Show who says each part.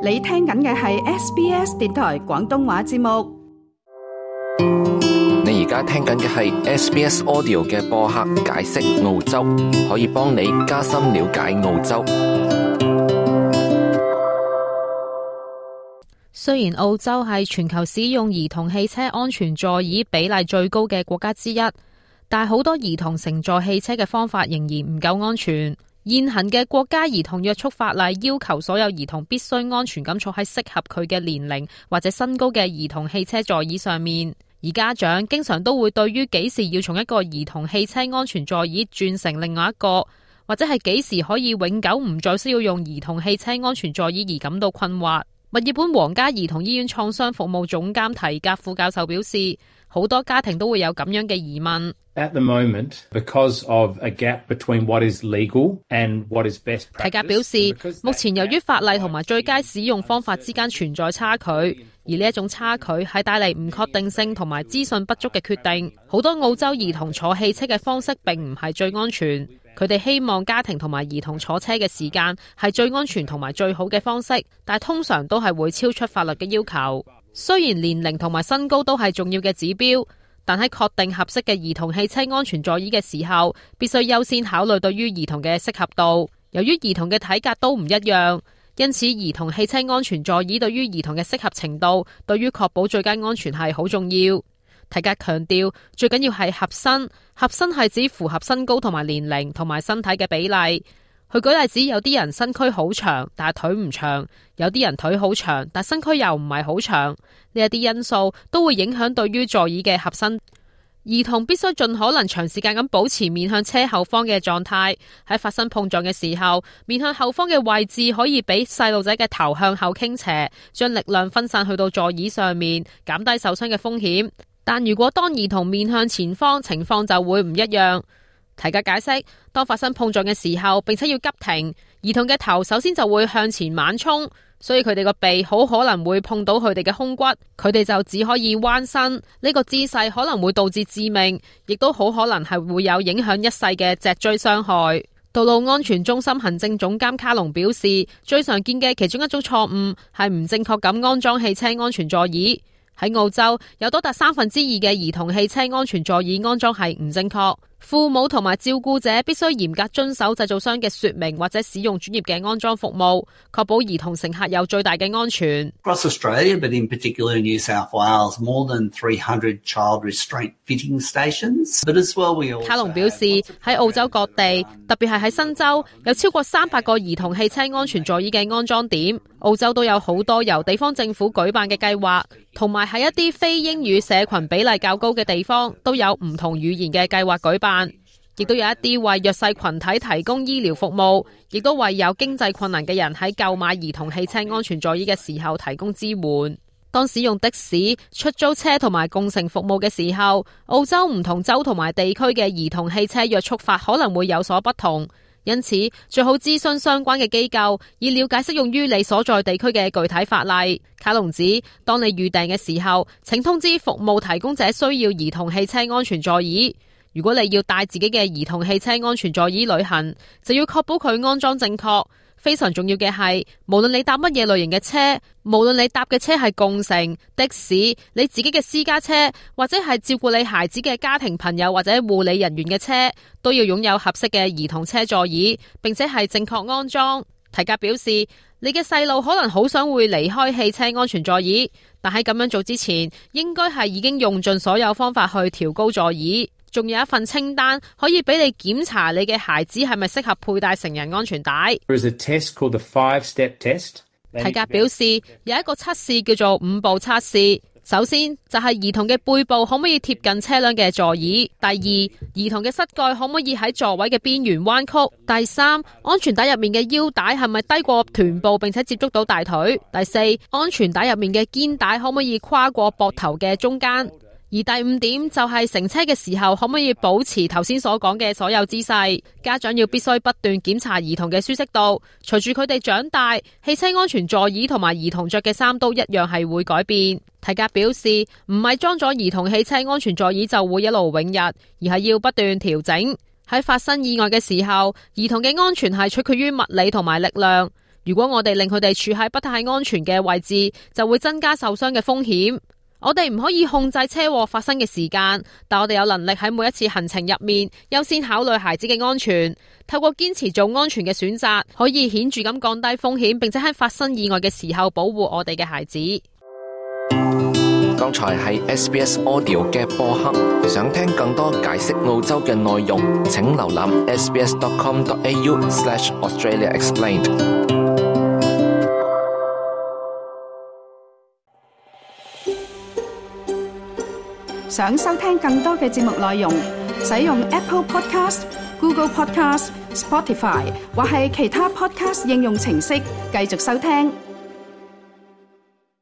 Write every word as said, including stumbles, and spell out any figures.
Speaker 1: 你聽緊嘅係 S B S 電台廣東話節目。
Speaker 2: 你而家聽緊嘅係 S B S Audio 嘅播客解釋澳洲，可以幫你加深了解澳洲。
Speaker 3: 雖然澳洲係全球使用兒童汽車安全座椅比例最高嘅國家之一，但好多兒童乘坐汽車嘅方法仍然唔夠安全。現行嘅國家兒童約束法例要求所有兒童必須安全咁坐喺適合佢嘅年齡或者身高嘅兒童汽車座椅上面，而家長經常都會對於幾時要從一個兒童汽車安全座椅轉成另外一個，或者係幾時可以永久唔再需要用兒童汽車安全座椅而感到困惑。墨爾本皇家兒童醫院創傷服務總監提格副教授表示，好多家庭都會有咁樣嘅疑問。
Speaker 4: At the moment, because of a gap between what is legal and what is best practice.
Speaker 3: 提格表示，目前由於法例同埋最佳使用方法之間存在差距，而呢一種差距係帶嚟唔確定性同埋資訊不足嘅決定。好多澳洲兒童坐汽車嘅方式並唔係最安全，佢哋希望家庭同埋兒童坐車嘅時間係最安全同埋最好嘅方式，但通常都係會超出法律嘅要求。雖然年齡同埋身高都係重要嘅指標，但喺確定合適嘅兒童汽車安全座椅嘅時候，必須優先考慮對於兒童嘅適合度。由於兒童嘅體格都唔一樣，因此兒童汽車安全座椅對於兒童嘅適合程度，對於確保最佳安全係好重要。提格強調，最緊要係合身，合身係指符合身高同埋年齡同埋身體嘅比例。佢舉例子，有啲人身軀好長，但係腿唔長；有啲人腿好長，但身軀又唔係好長。呢一啲因素都會影響對於座椅嘅合身。兒童必須盡可能長時間咁保持面向車後方嘅狀態。喺發生碰撞嘅時候，面向後方嘅位置可以俾細路仔嘅頭向後傾斜，將力量分散去到座椅上面，減低受傷嘅風險。但如果當兒童面向前方，情況就會唔一樣。提格解釋，當發生碰撞嘅時候，並且要急停，兒童嘅頭首先就會向前猛衝，所以佢哋個鼻好可能會碰到佢哋嘅胸骨，佢哋就只可以彎身。呢個姿勢可能會導致致命，亦都好可能係會有影響一世嘅脊椎傷害。道路安全中心行政總監卡隆表示，最常見嘅其中一種錯誤係唔正確咁安裝汽車安全座椅。喺澳洲，有多達三分之二嘅兒童汽車安全座椅安裝係唔正確。父母同埋照顧者必須嚴格遵守製造商嘅說明或者使用專業嘅安裝服務，確保兒童乘客有最大嘅安全。
Speaker 5: Across Australia, but in particular in New South Wales, more than three hundred child restraint fitting stations. But as well, we also
Speaker 3: 卡隆表示，喺澳洲各地，特別係喺新州，有超過三百個兒童汽車安全座椅嘅安裝點。澳洲都有好多由地方政府舉辦嘅計劃，同埋喺一啲非英語社群比例較高嘅地方，都有唔同語言嘅計劃舉辦，亦都有一啲為弱勢群體提供醫療服務，亦都為有經濟困難嘅人喺購買兒童汽車安全座椅嘅時候提供支援。當使用的士、出租車同埋共乘服務嘅時候，澳洲唔同州同埋地區嘅兒童汽車約束法可能會有所不同。因此，最好諮詢相關嘅機構，以了解適用於你所在地區嘅具體法例。卡隆指，當你預訂嘅時候，請通知服務提供者需要兒童汽車安全座椅。如果你要帶自己嘅兒童汽車安全座椅旅行，就要確保佢安裝正確。非常重要嘅係，無論你搭乜嘢類型嘅車，無論你搭嘅車係共乘、的士、你自己嘅私家車，或者係照顧你孩子嘅家庭朋友或者護理人員嘅車，都要擁有合適嘅兒童車座椅，並且係正確安裝。提格表示，你嘅細路可能好想會離開汽車安全座椅，但喺咁樣做之前，應該係已經用盡所有方法去調高座椅。仲有一份清單可以俾你檢查你嘅孩子係咪適合佩戴成人安全帶。
Speaker 4: There is a test called the five-step test.
Speaker 3: 提格表示，有一個測試叫做五步測試。首先就係兒童嘅背部可唔可以貼近車輛嘅座椅，第二，兒童嘅膝蓋可唔可以喺座位嘅邊緣彎曲，第三，安全帶入面嘅腰帶係咪低過臀部並且接觸到大腿，第四，安全帶入面嘅肩帶可唔可以跨過膊頭嘅中間。而第五點就係乘車嘅時候可唔可以保持頭先所講嘅所有姿勢。家長要必須不斷檢查兒童嘅舒適度，隨住佢哋長大，汽車安全座椅同埋兒童着嘅衫都一樣係會改變。提格表示，唔係裝咗兒童汽車安全座椅就會一勞永逸，而係要不斷調整。喺發生意外嘅時候，兒童嘅安全係取決於物理同埋力量。如果我哋令佢哋處喺不太安全嘅位置，就會增加受傷嘅風險。我哋唔可以控制車禍發生嘅時間，但我哋有能力喺每一次行程入面優先考慮孩子嘅安全。透過堅持做安全嘅選擇，可以顯著咁降低風險，並且喺發生意外嘅時候保護我哋嘅孩子。
Speaker 2: 剛才係 S B S Audio 嘅播客，想聽更多解釋澳洲嘅內容，請瀏覽 s b s dot com dot a u slash Australia Explained。
Speaker 1: 想收聽更多嘅節目內容，使用 Apple Podcast、Google Podcast、Spotify 或係其他 Podcast 應用程式繼續收聽。